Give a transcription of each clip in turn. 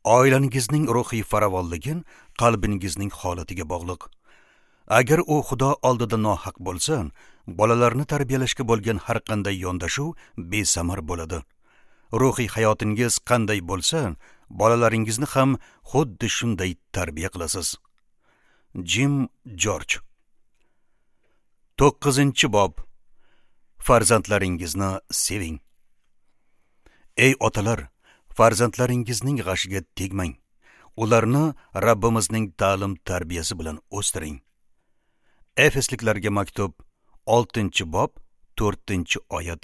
Oilangizning ruhiy farovonligi qalbingizning holatiga bog'liq. Agar u Xudo oldida nohaq bo'lsa, bolalarni tarbiyalashga bo'lgan har qanday yondashuv besamar bo'ladi. Ruhiy hayotingiz qanday bo'lsa, bolalaringizni ham xuddi shunday tarbiya qilasiz. Jim Jorj. 9-bob. Farzandlaringizni seving. Ey otalar, farzandlaringizning g'ashiga tegmang. Ularni Rabbimizning ta'lim tarbiyasi bilan o'stiring. Efesliklarga maktub 6-bob 4-oyat.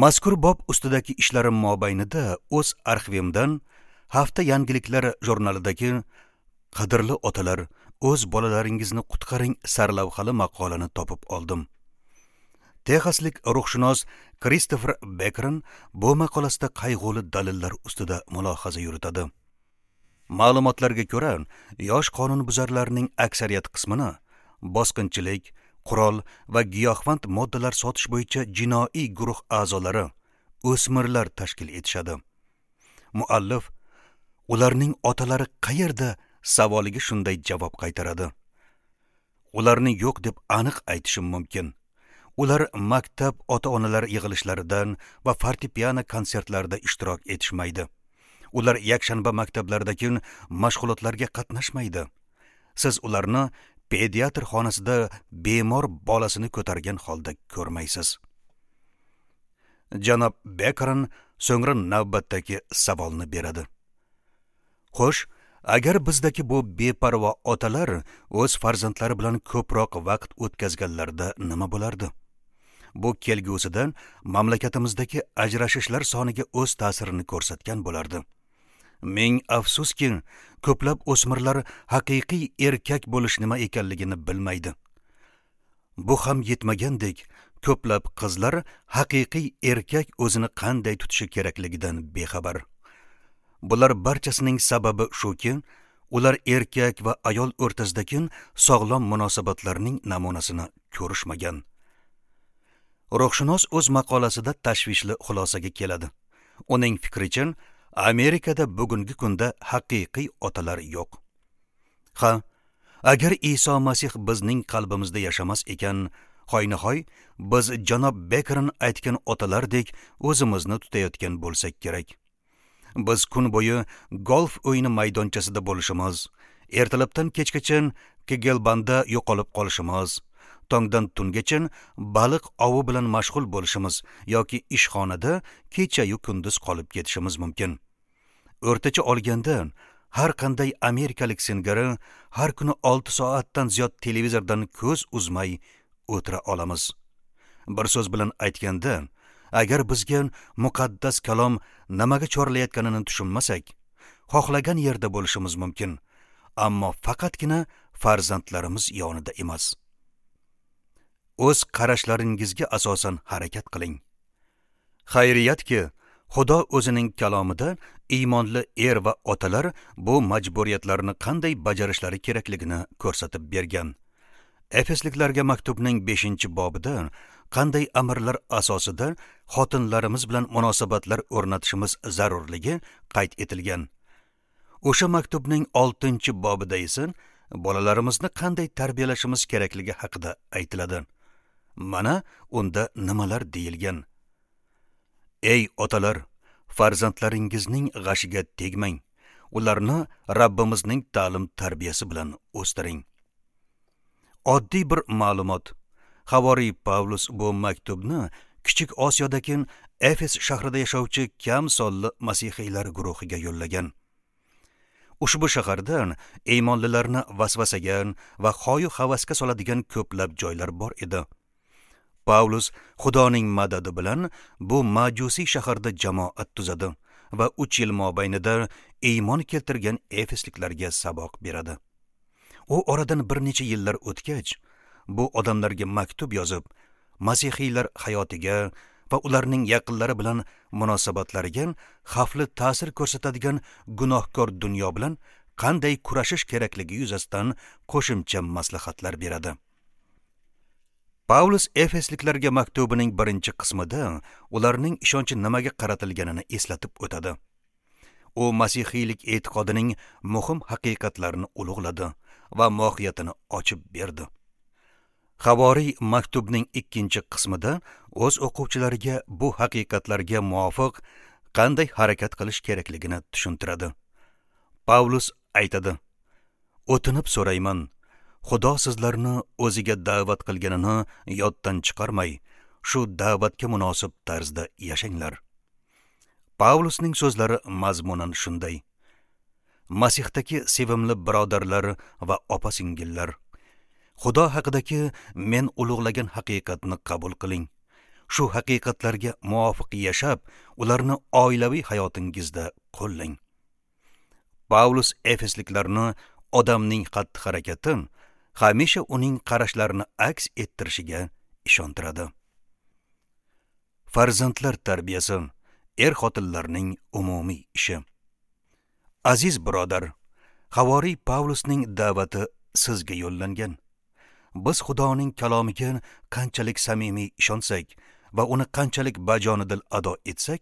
Mazkur bob ustidagi ishlarim mobaynida o'z arxivimdan hafta yangiliklari jurnalidagi "Qadrli otalar, o'z bolalaringizni qutqaring" sarlavhali maqolani topib oldim. Texaslik ruhshunos Kristofer Bekron bu maqolasida qayg'uli dalillar ustida mulohaza yuritadi. Ma'lumotlarga ko'ra, yosh qonunbuzarlarning aksariyat qismini bosqinchilik, qurol va giyohvand moddalar sotish bo'yicha jinoiy guruh a'zolari, o'smirlar tashkil etishadi. Muallif ularning otalari qayerda savoliga shunday javob qaytaradi: Ularni yo'q deb aniq aytishim mumkin. Ular maktab ota-onalar yig'ilishlarida va fortepiano konsertlarida ishtirok etishmaydi. Ular yakshanba maktablaridagi mashg'ulotlarga qatnashmaydi. Siz ularni pediatr xonasida bemor bolasini ko'targan holda ko'rmaysiz. Janob Bekron so'ngra navbatdagi savolni beradi. Xo'sh, agar bizdagi bu beparvo otalar o'z farzandlari bilan ko'proq vaqt o'tkazganlarida nima bo'lardi? Bu kelgusida mamlakatimizdagi ajrashishlar soniga o'z ta'sirini ko'rsatgan bo'lardi. Ming afsuski, ko'plab o'smirlar haqiqiy erkak bo'lish nima ekanligini bilmaydi. Bu ham yetmagandek, ko'plab qizlar haqiqiy erkak o'zini qanday tutishi kerakligidan bexabar. Bular barchasining sababi shuki, ular erkak va ayol o'rtasidagi sog'lom munosabatlarning namunasini ko'rishmagan. Ruhshunos o'z maqolasida tashvishli xulosaga keladi. Uning fikricha, Amerikada bugungi kunda haqiqiy otalar yo'q. Ha, agar Iso Masih bizning qalbimizda yashamas ekan, hoynahoy biz janob Bekron aytgan otalardek o'zimizni tutayotgan bo'lsak kerak. Biz kun bo'yi golf o'yini maydonchasida bo'lishimiz, ertalabdan kechgacha Kegelbanda yo'qolib qolishimiz, tongdan tungacha baliq ovi bilan mashg'ul bo'lishimiz yoki ishxonada kecha-yu kunduz qolib ketishimiz mumkin. O'rtacha olganda, har qanday amerikalik singari har kuni 6 soatdan ziyod televizordan ko'z uzmay o'tira olamiz. Bir so'z bilan aytganda, agar bizga muqaddas kalom nimaga chorlayotganini tushunmasak, xohlagan yerda bo'lishimiz mumkin, ammo faqatgina farzandlarimiz yonida emas. O'z qarashlaringizga asosan harakat qiling. Xayriyatki, Xudo o'zining kalomida iymonli er va otalar bu majburiyatlarni qanday bajarishlari kerakligini ko'rsatib bergan. Efesliklarga maktubning 5-bobida qanday amrlar asosida xotinlarimiz bilan munosabatlar o'rnatishimiz zarurligi qayd etilgan. O'sha maktubning 6-bobida esa bolalarimizni qanday tarbiyalashimiz kerakligi haqida aytiladi. Mana unda nimalar deyilgan. Ey otalar, farzandlaringizning g'ashiga tegmang. Ularni Rabbimizning ta'lim tarbiyasi bilan o'stiring. Oddiy bir ma'lumot. Havoriy Pavlus bu maktubni Kichik Osiyodagi Efes shahrida yashovchi kam sonli masihiylar guruhiga yo'llagan. Ushbu shaharda iymonlilarni vasvasaga va hoyu havasga soladigan ko'plab joylar bor edi. Pavlus Xudoning madadi bilan bu majusiy shaharda jamoat tuzadi va 3 yil mobaynida iymon keltirgan efesliklarga saboq beradi. U oradan bir necha yillar o'tgach, bu odamlarga maktub yozib, masihiylar hayotiga va ularning yaqinlari bilan munosabatlariga xavfli ta'sir ko'rsatadigan gunohkor dunyo bilan qanday kurashish kerakligi yuzasidan qo'shimcha maslahatlar beradi. Pavlus Efesliklarga maktubining 1-qismida ularning ishonchi nimaga qaratilganini eslatib o'tadi. U masihiylik e'tiqodining muhim haqiqatlarini ulug'ladi va mohiyatini ochib berdi. Havoriy maktubning ikkinchi qismida o'z o'quvchilariga bu haqiqatlarga muvofiq qanday harakat qilish kerakligini tushuntiradi. Pavlus aytadi: "O'tinib so'rayman, Xudo sizlarni o'ziga da'vat qilganini yoddan chiqarmay, shu da'vatga munosib tarzda yashanglar." Pavlusning so'zlari mazmunan shunday: Masihdagi sevimli birodarlar va opa-singillar, Xudo haqidagi men ulug'lagan haqiqatni qabul qiling. Shu haqiqatlarga muvofiq yashab, ularni oilaviy hayotingizda qo'llang. Pavlus efesliklarni odamning xatti-harakati hamisha uning qarashlarini aks ettirishiga ishontiradi. Farzandlar tarbiyasi er-xotinlarning umumiy ishi. Aziz birodar, havoriy Pavlusning da'vati sizga yo'llangan. Biz Xudoning kalomiga qanchalik samimiy ishonsak va uni qanchalik bajonidil ado etsak,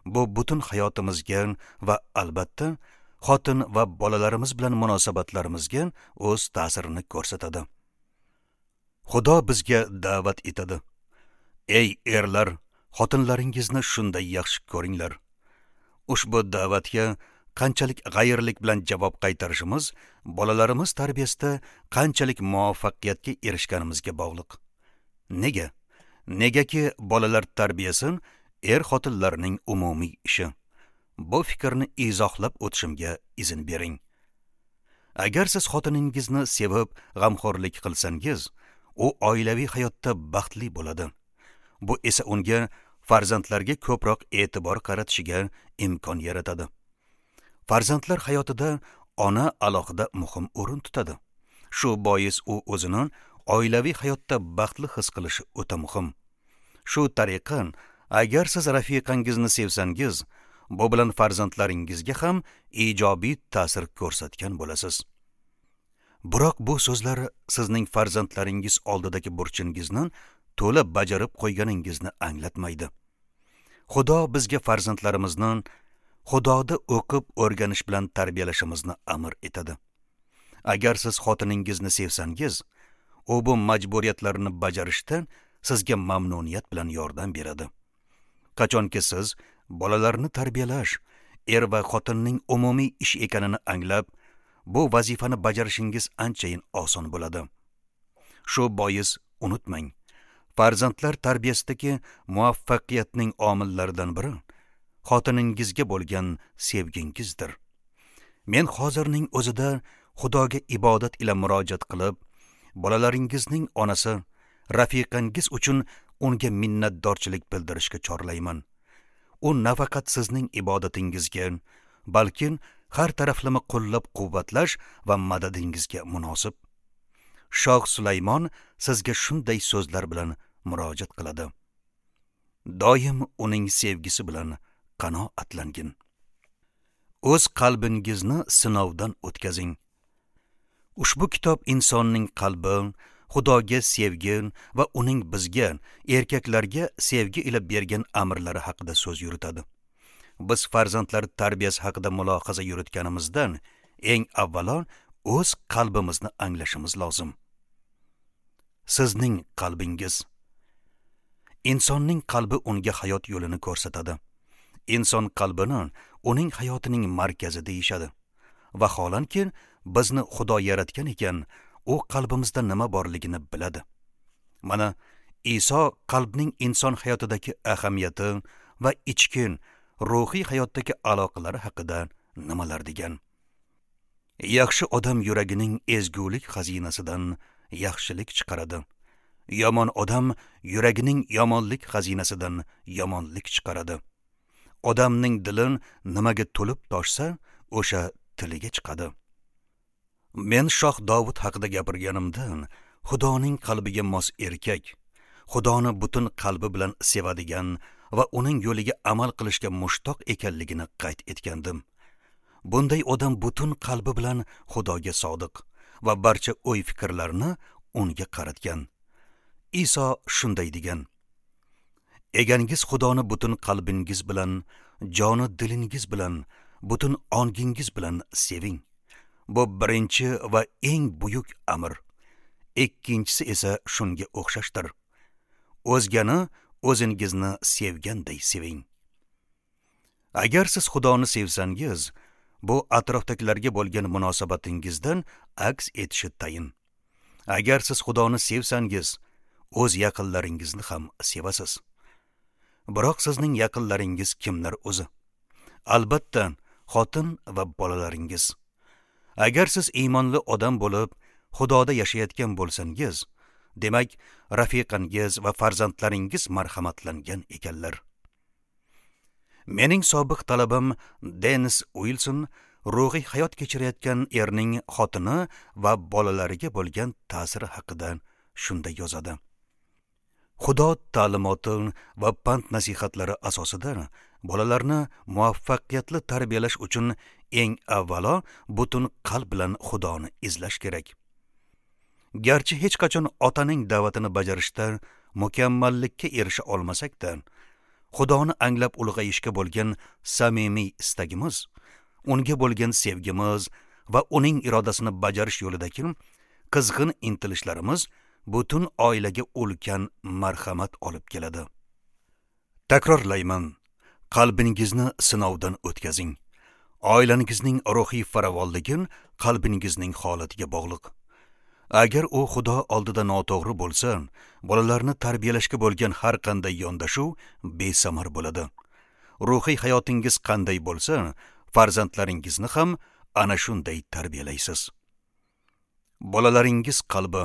bu butun hayotimizga va albatta xotin va bolalarimiz bilan munosabatlarimizga o'z ta'sirini ko'rsatadi. Xudo bizga da'vat etadi: Ey erlar, xotinlaringizni shunday yaxshi ko'ringlar. Ushbu da'vatga qanchalik g'ayrlik bilan javob qaytarishimiz bolalarimiz tarbiyasida qanchalik muvaffaqiyatga erishganimizga bog'liq. Nega? Negaki bolalar tarbiyasi er-xotinlarning umumiy ishi. Bu fikrni izohlab o'tishimga izn bering. Agar siz xotiningizni sevib, g'amxo'rlik qilsangiz, u oilaviy hayotda baxtli bo'ladi. Bu esa unga farzandlarga ko'proq e'tibor qaratishiga imkon yaratadi. Farzandlar hayotida ona alohida muhim o'rin tutadi. Shu bois u o'zini oilaviy hayotda baxtli his qilishi o'ta muhim. Shu tariqa, agar siz rafiqangizni sevsangiz, bu bilan farzandlaringizga ham ijobiy ta'sir ko'rsatgan bo'lasiz. Biroq bu so'zlar sizning farzandlaringiz oldidagi burchingizni to'la bajarib qo'yganingizni anglatmaydi. Xudo bizga farzandlarimizni Xudoda o'qib o'rganish bilan tarbiyalashimizni amr etadi. Agar siz xotiningizni sevsangiz, u bu majburiyatlarni bajarishda sizga mamnuniyat bilan yordam beradi. Qachonki siz bolalarni tarbiyalash er va xotinning umumiy ish ekanini anglab, bu vazifani bajarishingiz anchayin oson bo'ladi. Shu bois unutmang, farzandlar tarbiyasidagi muvaffaqiyatning omillaridan biri xotiningizga bo'lgan sevgingizdir. Men hozirning o'zida Xudoga ibodat ila murojaat qilib, bolalaringizning onasi, rafiqangiz uchun unga minnatdorchilik bildirishga chorlayman. U nafaqat sizning ibodatingizga, balki har taraflama qo'llab-quvvatlash va madadingizga munosib. Shoh Sulaymon sizga shunday so'zlar bilan murojaat qiladi: Doim uning sevgisi bilan qanoatlangin. O'z qalbingizni sinovdan o'tkazing. Ushbu kitob insonning qalbi, Xudoga sevgi va uning bizga, erkaklarga sevgi ila bergan amrlari haqida so'z yuritadi. Biz farzandlar tarbiyasi haqida mulohaza yuritganimizdan eng avvalo o'z qalbimizni anglashimiz lozim. Sizning qalbingiz. Insonning qalbi unga hayot yo'lini ko'rsatadi. Inson qalbini uning hayotining markazi deyishadi. Vaholanki, bizni Xudo yaratgan ekan, u qalbimizda nima borligini biladi. Mana Iso qalbning inson hayotidagi ahamiyati va ichki ruhiy hayotdagi aloqalari haqida nimalar degan. Yaxshi odam yuragining ezgulik xazinasidan yaxshilik chiqaradi. Yomon odam yuragining yomonlik xazinasidan yomonlik chiqaradi. Odamning dili nimaga to'lib toshsa, o'sha tiliga chiqadi. Men Shoh Dovud haqida gapirganimda, Xudoning qalbiga mos erkak, Xudoni butun qalbi bilan sevadigan va uning yo'liga amal qilishga mushtoq ekanligini qayd etgandim. Bunday odam butun qalbi bilan Xudoga sodiq va barcha o'y-fikrlarini unga qaratgan. Iso shunday degan: Egangiz Xudoni butun qalbingiz bilan, joni dilingiz bilan butun ongingiz bilan seving. Bu birinchi va eng buyuk amr. Ikkinchisi esa shunga o'xshashdir. O'zgani o'zingizni sevganday seving. Agar siz Xudoni sevsangiz, bu atrofdagilarga bo'lgan munosabatingizdan aks etishi tayin. Agar siz Xudoni sevsangiz, o'z yaqinlaringizni ham sevasiz. Biroq sizning yaqinlaringiz kimlar o'zi? Albatta, xotin va bolalaringiz. Agar siz iymonli odam bo'lib, Xudoda yashayotgan bo'lsangiz, demak, rafiqangiz va farzandlaringiz marhamatlangan ekanlar. Mening sobiq talabam Dennis Uilson ruhiy hayot kechirayotgan erning xotini va bolalariga bo'lgan ta'siri haqida shunday yozadi. Xudo ta'limoti va pand nasihatlari asosida bolalarni muvaffaqiyatli tarbiyalash uchun eng avvalo butun qalb bilan Xudoni izlash kerak. Garchi hech qachon otaning da'vatini bajarishda mukammallikka erisha olmasak-da, Xudoni anglab ulg'ayishga bo'lgan samimiy istagimiz, unga bo'lgan sevgimiz va uning irodasini bajarish yo'lidagi qizg'in intilishlarimiz butun oilaga ulkan marhamat olib keladi. Takrorlayman, qalbingizni sinovdan o'tkazing. Oilangizning ruhiy farovonligi qalbingizning holatiga bog'liq. Agar u Xudo oldida noto'g'ri bo'lsa, bolalarni tarbiyalashga bo'lgan har qanday yondashuv besamar bo'ladi. Ruhiy hayotingiz qanday bo'lsa, farzandlaringizni ham ana shunday tarbiyalaysiz. Bolalaringiz qalbi.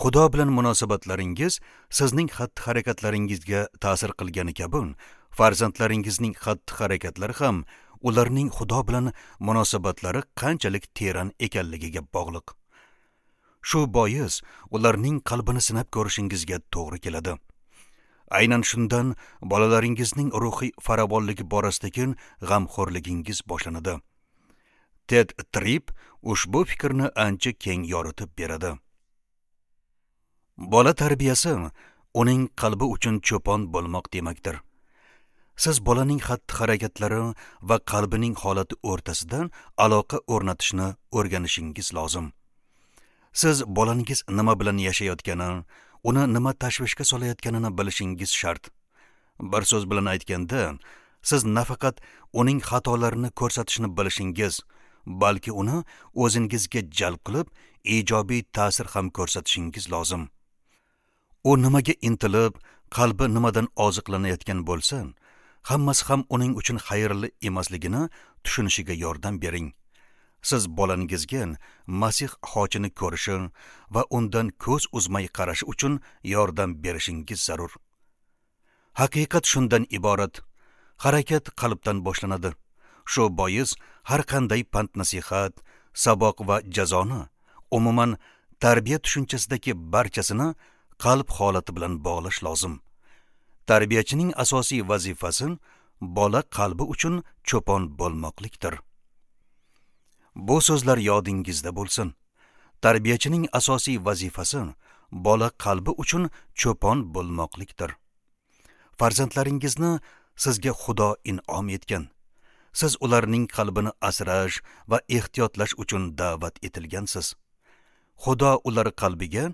Xudo bilan munosabatlaringiz sizning xatti-harakatlaringizga ta'sir qilgani kabi, farzandlaringizning xatti-harakatlari ham ularning Xudo bilan munosabatlari qanchalik teran ekanligiga bog'liq. Shu bois ularning qalbini sinab ko'rishingizga to'g'ri keladi. Aynan shundan bolalaringizning ruhiy farovonligi borasidagi g'amxo'rligingiz boshlanadi. Ted Tripp ushbu fikrni ancha keng yoritib beradi. Bola tarbiyasi uning qalbi uchun cho'pon bo'lmoq demakdir. Siz bolaning xatti-harakatlari va qalbining holati o'rtasida aloqa o'rnatishni o'rganishingiz lozim. Siz bolangiz nima bilan yashayotgani, uni nima tashvishga solayotganini bilishingiz shart. Bir so'z bilan aytganda, siz nafaqat uning xatolarini ko'rsatishni bilishingiz, balki uni o'zingizga jalb qilib, ijobiy ta'sir ham ko'rsatishingiz lozim. U nimaga intilib, qalbi nimadan oziqlanayotgan bo'lsa, hammasi ham uning uchun xayrli emasligini tushunishiga yordam bering. Siz bolangizga Masih xochini ko'rishi va undan ko'z uzmay qarashi uchun yordam berishingiz zarur. Haqiqat shundan iborat. Harakat qalbdan boshlanadi. Shu bois har qanday pand nasihat, saboq va jazoni, umuman tarbiya tushunchasidagi barchasini qalb holati bilan bog'lash lozim. Tarbiyachining asosiy vazifasi bola qalbi uchun cho'pon bo'lmoqlikdir. Bu so'zlar yodingizda bo'lsin. Tarbiyachining asosiy vazifasi bola qalbi uchun cho'pon bo'lmoqlikdir. Farzandlaringizni sizga Xudo in'om etgan. Siz ularning qalbini asrash va ehtiyotlash uchun da'vat etilgansiz. Xudo ular qalbiga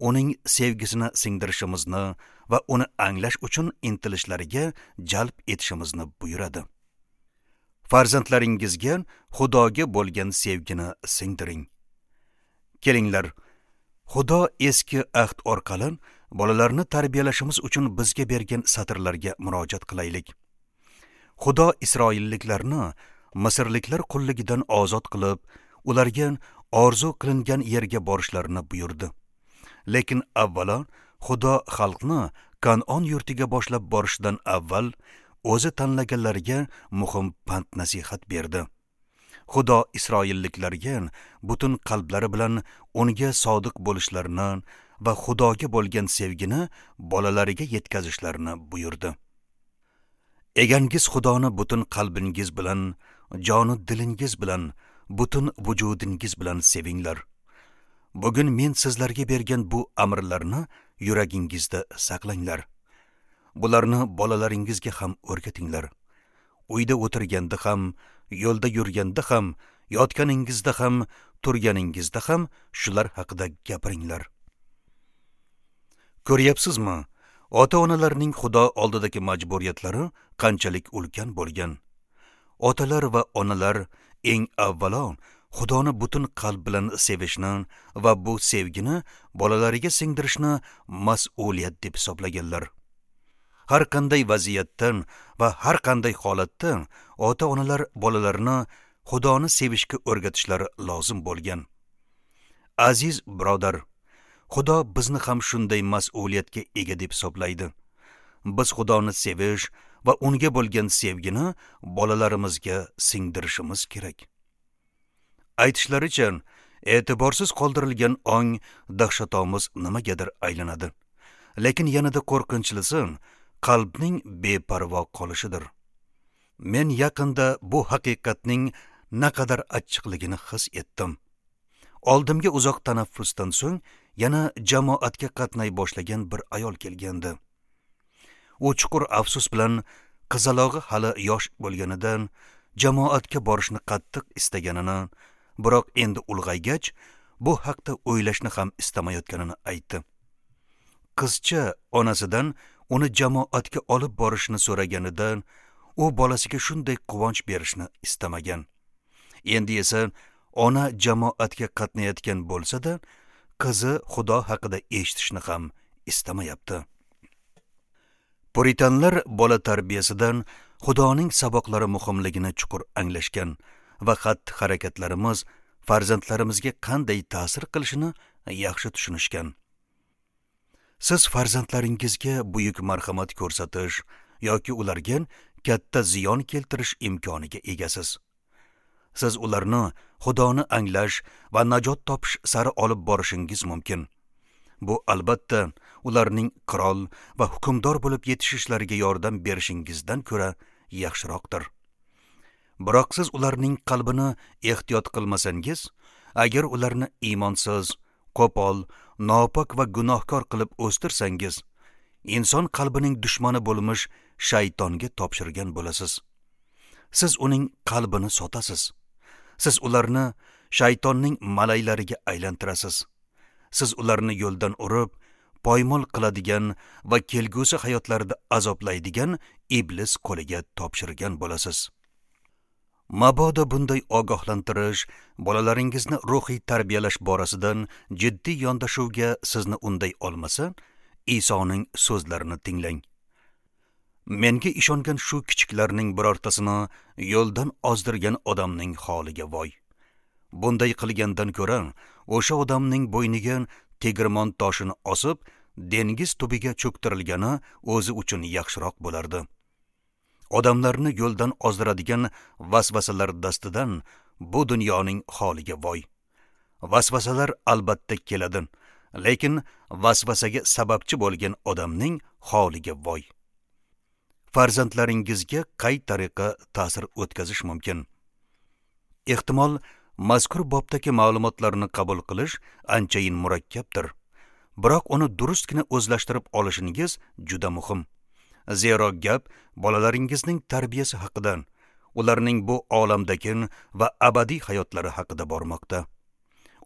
uning sevgisini singdirishimizni va uni anglash uchun intilishlariga jalb etishimizni buyuradi. Farzandlaringizga Xudoga bo'lgan sevgini singdiring. Kelinglar, Xudo eski ahd orqali bolalarni tarbiyalashimiz uchun bizga bergan satrlarga murojaat qilaylik. Xudo isroilliklarni misrliklar qulligidan ozod qilib, ularga orzu qilingan yerga borishlarini buyurdi. Lekin avvalo Xudo xalqni Kan'on yurtiga boshlab borishidan avval o'zi tanlaganlarga muhim pand nasihat berdi. Xudo isroilliklarga butun qalblari bilan unga sodiq bo'lishlarini va Xudoga bo'lgan sevgini bolalariga yetkazishlarini buyurdi. Egangiz Xudoni butun qalbingiz bilan, jonu dilingiz bilan, butun vujudingiz bilan sevinglar. Bugun men sizlarga bergan bu amrlarni yuragingizda saqlanglar. Bularni bolalaringizga ham o'rgatinglar. Uyda o'tirganda ham, Yo'lda yurganda ham, yotganingizda ham, turganingizda ham shular haqida gapiringlar. Ko'ryapsizmi? Ota-onalarning Xudo oldidagi majburiyatlari qanchalik ulkan bo'lgan. Otalar va onalar eng avvalo Xudoni butun qalb bilan sevishni va bu sevgini bolalariga singdirishni mas'uliyat deb hisoblaganlar. Har qanday vaziyatdan va har qanday holatda ota-onalar bolalarini Xudoni sevishga o'rgatishlari lozim bo'lgan. Aziz birodar, Xudo bizni ham shunday mas'uliyatga ega deb hisoblaydi. Biz Xudoni sevish va unga bo'lgan sevgini bolalarimizga singdirishimiz kerak. Aytishlaricha, e'tiborsiz qoldirilgan ong dahshatomuz nimagadir aylanadi. Lekin yanada qo'rqinchlisi qalbning beparvo qolishidir. Men yaqinda bu haqiqatning naqadar achchiqligini his etdim. Oldimga uzoq tanaffusdan so'ng yana jamoatga qatnay boshlagan bir ayol kelgandi. U chuqur afsus bilan qizalog'i hali yosh bo'lganidan jamoatga borishni qattiq istaganini, biroq endi ulg'aygach bu haqda o'ylashni ham istamayotganini aytdi. Qizcha onasidan uni jamoatga olib borishni so'raganidan u bolasiga shunday quvonch berishni istamagan. Endi esa ona jamoatga qatnayotgan bo'lsa-da, qizi Xudo haqida eshitishni ham istamayapti. Puritanlar bola tarbiyasidan Xudoning saboqlari muhimligini chuqur anglashgan va xatti-harakatlarimiz farzandlarimizga qanday ta'sir qilishini yaxshi tushunishgan. Siz farzandlaringizga buyuk marhamat ko'rsatish yoki ularga katta ziyon keltirish imkoniga egasiz. Siz ularni Xudoni anglash va najot topish sari olib borishingiz mumkin. Bu albatta ularning qirol va hukmdor bo'lib yetishishlariga yordam berishingizdan ko'ra yaxshiroqdir. Biroq siz ularning qalbini ehtiyot qilmasangiz, agar ularni iymonsiz, qo'pol, nopok va gunohkor qilib o'stirsangiz, inson qalbining dushmani bo'lmish shaytonga topshirgan bo'lasiz. Siz uning qalbini sotasiz. Siz ularni shaytonning malaylariga aylantirasiz. Siz ularni yo'ldan urib, poymol qiladigan va kelgusi hayotlarida azoblaydigan iblis qo'liga topshirgan bo'lasiz. Mabodo bunday ogohlantirish bolalaringizni ruhiy tarbiyalash borasidan jiddiy yondashuvga sizni unday olmasa, Isoning so'zlarini tinglang. Menga ishongan shu kichiklarning birortasini yo'ldan ozdirgan odamning holiga voy. Bunday qilgandan ko'ra, o'sha odamning bo'yniga tegirmon toshini osib, dengiz tubiga cho'ktirilgani o'zi uchun yaxshiroq bo'lardi. Odamlarni yo'ldan ozdiradigan vasvasalar dastidan bu dunyoning holiga voy. Vasvasalar albatta keladi, lekin vasvasaga sababchi bo'lgan odamning holiga voy. Farzandlaringizga qay tariqa ta'sir o'tkazish mumkin? Ehtimol, mazkur bobdagi ma'lumotlarni qabul qilish anchayin murakkabdir. Biroq uni durustgina o'zlashtirib olishingiz juda muhim. Zero gap bolalaringizning tarbiyasi haqida, ularning bu olamdagi va abadiy hayotlari haqida bormoqda.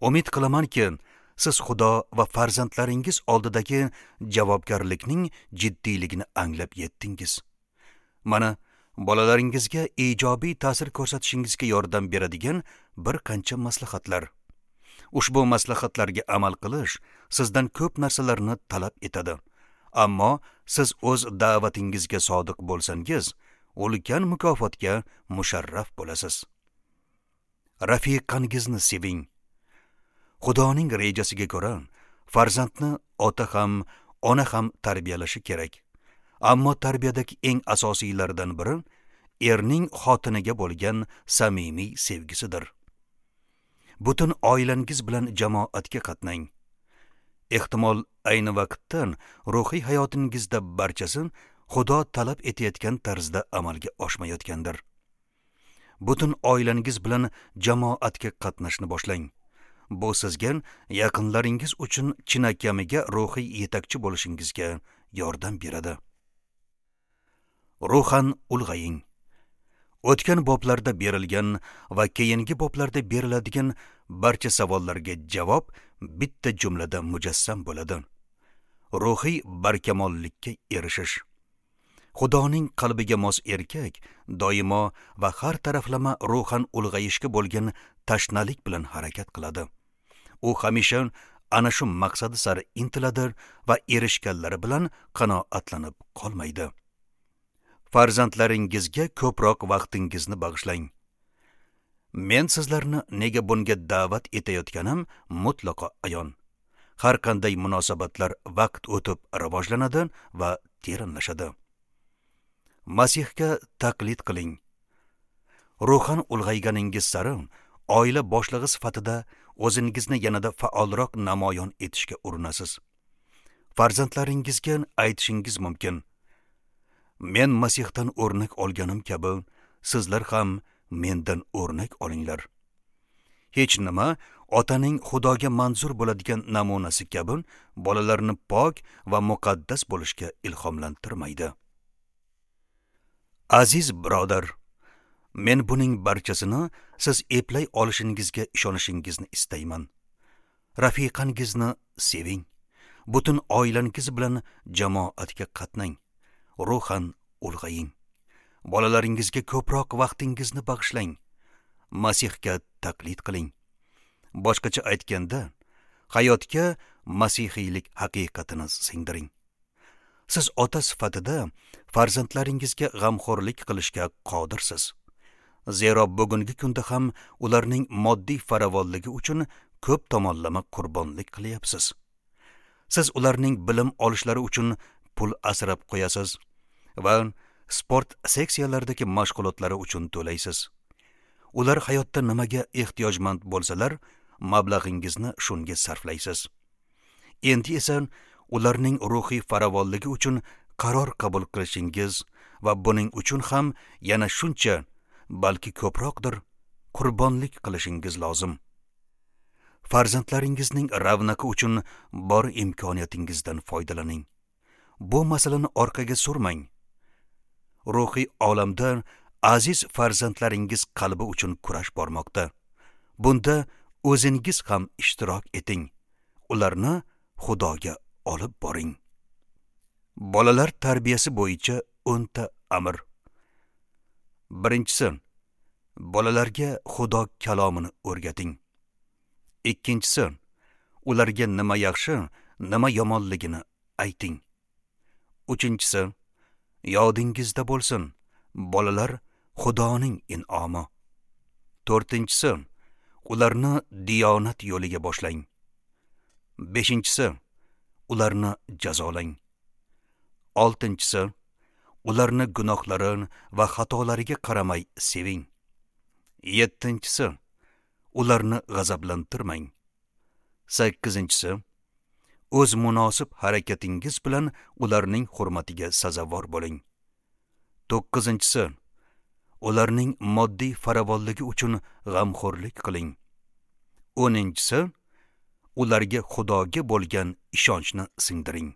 Umid qilamanki, siz Xudo va farzandlaringiz oldidagi javobgarlikning jiddiyligini anglab yetdingiz. Mana bolalaringizga ijobiy ta'sir ko'rsatishingizga yordam beradigan bir qancha maslahatlar. Ushbu maslahatlarga amal qilish sizdan ko'p narsalarni talab etadi. Ammo siz o'z da'vatingizga sodiq bo'lsangiz, ulkan mukofotga musharraf bo'lasiz. Rafiqangizni seving. Xudoning rejasiga ko'ra, farzandni ota ham, ona ham tarbiyalashi kerak. Ammo tarbiyadagi eng asosiylaridan biri erning xotiniga bo'lgan samimiy sevgisidir. Butun oilangiz bilan jamoatga qatnang. Ehtimol ayni vaqtda ruhiy hayotingizda barchasi Xudo talab etayotgan tarzda amalga oshmayotgandir. Butun oilangiz bilan jamoatga qatnashni boshlang. Bu sizga yaqinlaringiz uchun chinakamiga ruhiy yetakchi bo'lishingizga yordam beradi. Ruhan ulg'aying. O'tgan boblarda berilgan va keyingi boblarda beriladigan barcha savollarga javob bitta jumlada mujassam bo'ladi. Ruhiy barkamollikka erishish. Xudoning qalbiga mos erkak doimo va har taraflama ruhan ulg'ayishga bo'lgan tashnalik bilan harakat qiladi. U hamisha ana shu maqsadi sari intiladi va erishganlari bilan qanoatlanib qolmaydi. Farzandlaringizga ko'proq vaqtingizni bag'ishlang. Men sizlarni nega bunga da'vat etayotganim mutlaqo ayon. Har qanday munosabatlar vaqt o'tib rivojlanadi va teranlashadi. Masihga taqlid qiling. Ruhan ulg'ayganingiz sari oila boshlig'i sifatida o'zingizni yanada faolroq namoyon etishga urinasiz. Farzandlaringizga aytishingiz mumkin: Men Masihdan o'rnak olganim kabi, sizlar ham mendan o'rnak olinglar. Hech nima otaning Xudoga manzur bo'ladigan namunasi kabi bolalarni pok va muqaddas bo'lishga ilhomlantirmaydi. Aziz birodar, men buning barchasini siz eplay olishingizga ishonishingizni istayman. Rafiqangizni seving. Butun oilangiz bilan jamoatga qatnang. Ruhan ulg'aying. Bolalaringizga ko'proq vaqtingizni bag'ishlang. Masihga taqlid qiling. Boshqacha aytganda, hayotga masihiylik haqiqatini singdiring. Siz ota sifatida farzandlaringizga g'amxo'rlik qilishga qodirsiz. Zero bugungi kunda ham ularning moddiy farovonligi uchun ko'p tomonlama qurbonlik qilyapsiz. Siz ularning bilim olishlari uchun pul asrab qo'yasiz va sport seksiyalaridagi mashg'ulotlari uchun to'laysiz. Ular hayotda nimaga ehtiyojmand bo'lsalar, mablag'ingizni shunga sarflaysiz. Endi esa ularning ruhiy farovonligi uchun qaror qabul qilishingiz va buning uchun ham yana shuncha, balki ko'proqdir, qurbonlik qilishingiz lozim. Farzandlaringizning ravnaqi uchun bor imkoniyatingizdan foydalaning. Bu masalani orqaga surmang. Ruhiy olamda aziz farzandlaringiz qalbi uchun kurash bormoqda. Bunda o'zingiz ham ishtirok eting. Ularni Xudoga olib boring. Bolalar tarbiyasi bo'yicha 10 ta amr. Birinchisi, bolalarga Xudo kalomini o'rgating. Ikkinchisi, ularga nima yaxshi, nima yomonligini ayting. Uchinchisi, yodingizda bo'lsin, bolalar Xudoning in'omi. To'rtinchisi, ularni diyonat yo'liga boshlang. Beshinchisi, ularni jazolang. Oltinchisi, ularni gunohlari va xatolariga qaramay seving. Yettinchisi, ularni g'azablantirmang. Sakkizinchisi, o'z munosib harakatingiz bilan ularning hurmatiga sazovor bo'ling. To'qqizinchisi, ularning moddiy farovonligi uchun g'amxo'rlik qiling. O'ninchisi, ularga Xudoga bo'lgan ishonchni singdiring.